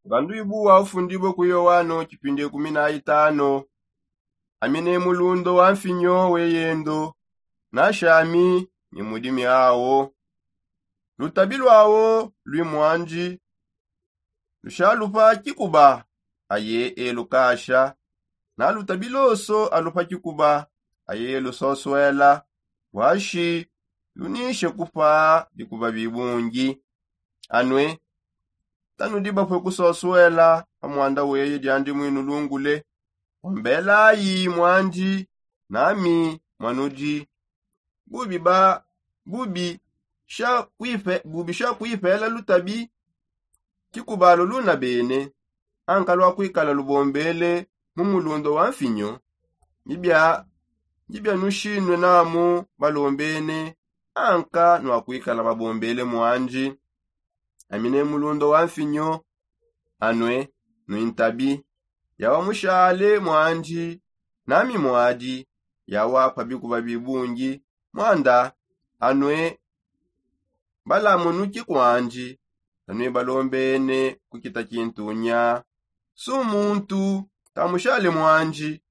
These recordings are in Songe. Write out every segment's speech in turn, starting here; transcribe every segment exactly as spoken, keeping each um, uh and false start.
Ngandu ibu wa ufundibue ku yoano tshipindi kumi na itano. Ami ne mulundu wa mfinyo weyendo, nashami ne mudimi awo. Lutabi lwawo lwi mwandi lushalupa tshikuba, aye elukasha. Na lutabi loso alupa tshikuba, aye elusoswela. Bwashi lunishe kupa bikuba bibungi. Anue tanudi bapue kusoswela pa mwanda weye diandi mwinulungule. Ombelayi mwandi nami mwanudi. Bubi ba bubi sha kuipe bubi sha kuipela lutabi. Tshikubalo luna bene anka lwa kuikala lubombele mu mulundo wa mfinyo. Ndibia ndibia nushinue namu balombene anka nwa kuikala babombele mwandi. Ami ne mulundo wa mfinyo. Anue nuintabi. Yawa mushale mwandi nami mwadi. Yawa pa bikuba bibungi. Mwanda anue balamunuki kwandi. Tanue balombene kukita kintunya. Su muntu tamushale mwandi.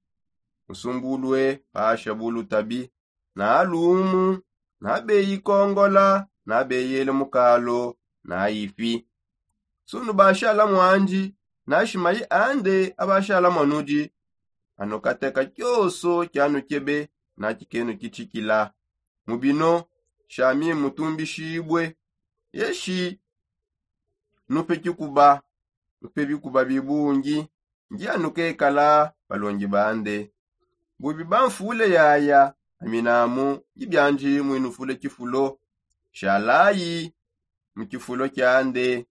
Musumbulue pasha bulutabi. Na lumu na beyi kongola na beyele mukalo na ipi. Sunu bashala mwandi na shimayi ande abashala mwanudi. Anukateka kioso kianukebe na kikenu kitshikila. Mubino shami mutumbishibue. Yeshi nupe kikuba nupe bikuba bibungi. Ngianukekala balongi bande. Bubi banfule yaya aminamu ibyandi mwinufule kifulo. Shalayi mu kifulo kiande.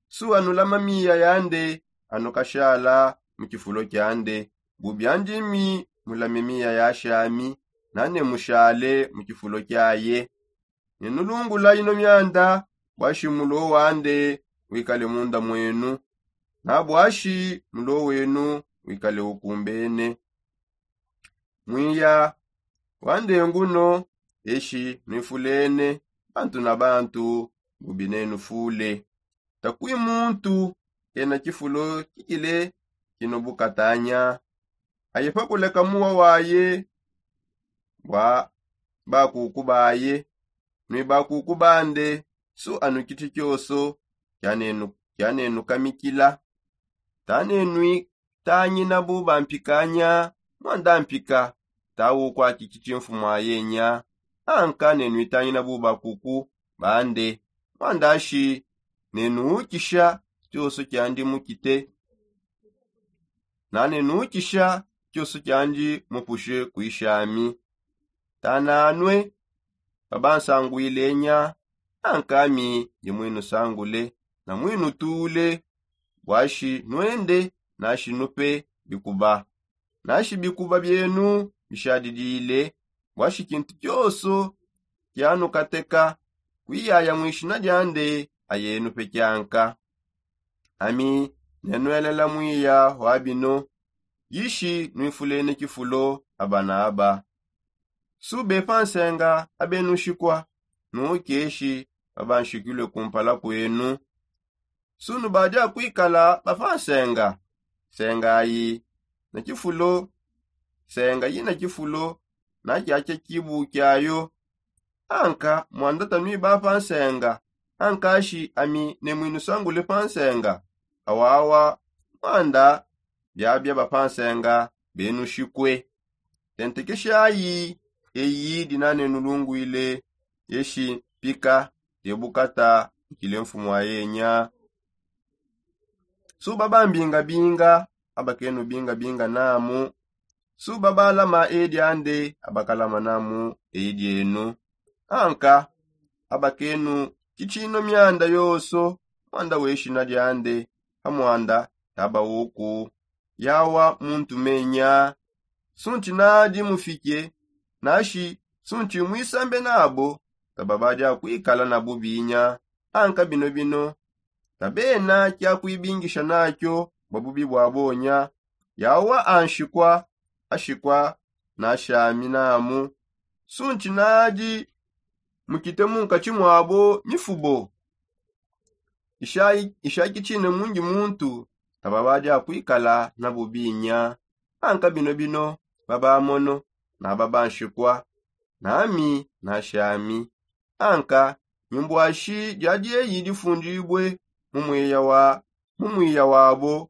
Suwa nulama miya yande anukashala mu kifulo kiande. Bubi andimi mulame miya yashami nane mushale mu kifulo kiaye. Nenulungula ino myanda bwashi mulo wande wikale munda mwenu. Na bwashi mulo wenu wikale ukumbene. Mwiya wande nguno. Eshi nwifulene bantu na bantu bubi nenufule. Takui muntu kena kifulo kikile kino bukatanya. Aye pakuleka muwa waye bwa bakuku baye. Nui bakuku bande su anu kiti kioso kianenu kianenukamikila. Tanenui tangina buba mpikanya. Mwanda mpika tawu kwaki kiti mfumu ayenya. Anka nenui tangina buba kuku bande. Mwanda shi nenuukisha kioso kiandi mukite. Nane nukisha kioso kiandi mupushe kuishami. Tananue babansanguilenya. Ankami ndi mwinusangule na mwinutule. Bwashi nwende nashi nupe bikuba. Nashi bikuba bienu bishadidile. Bwashi kintu kioso kianukateka kuiyaya mwishina diande ayenu pekianka. Ami nenuelela mwiya wa bino. Yishi nuifulene kifulo aba na aba. Sube pansenga abenushikua nukeshi babanshikilue kumpala kuenu. Sunu badia kuikala bapansenga. Senga ayi na kifulo senga yina kifulo na kiakia kibu kiayo. Anka mwanda tanui bapa nsenga. Ankashi ami ne mwinusangule pa nsenga. Awawa mwanda biabia bapa nsenga benushikue. Tentekeshayi eyi dinanenulungwile. Yeshi mpika diebukata ikile mfumu ayenya. Suba bambingabinga abakenu bingabinga namu. Suba balama edi ande abakalama namu edi enu. Anka abakenu kicino mianda yoso mwanda weshina diande amwanda taba uku. Yawa muntu menya. Sunti nadi mufike nashi sunti mwisambe nabo. Taba badia kwikala na bubinya. Anka bino bino tabena kia kuibingisha nakio bua bubi bua bonya. Yawa anshikua ashikua nashami namu. Sunti nadi mukite munkatshi muabo mifubo. Ishaki tshine mundi muntu taba badi akuikala na bubinya. Anka bino bino babamono na babanshikua, nami nashami. Anka nyumbuashi dia dieyi difundibue mu mwiya wa mu mwiya wabo,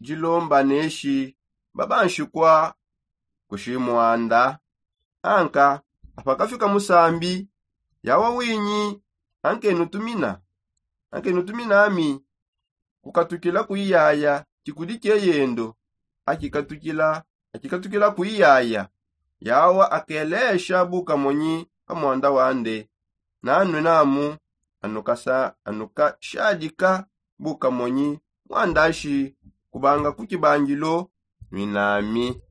dilomba neshi babanshikua kushimwanda. Anka apakafika musambi, yawa winyi ankenutumina ankenutumina ami kukatukila kuiyaya. Tshikudi kieyendo akikatukila akikatukila kuiyaya. Yawa akelesha bukamonyi pa mwanda wande. Nanue namu anukashadika bukamonyi mwandashi kubanga ku kibangilo nwinami.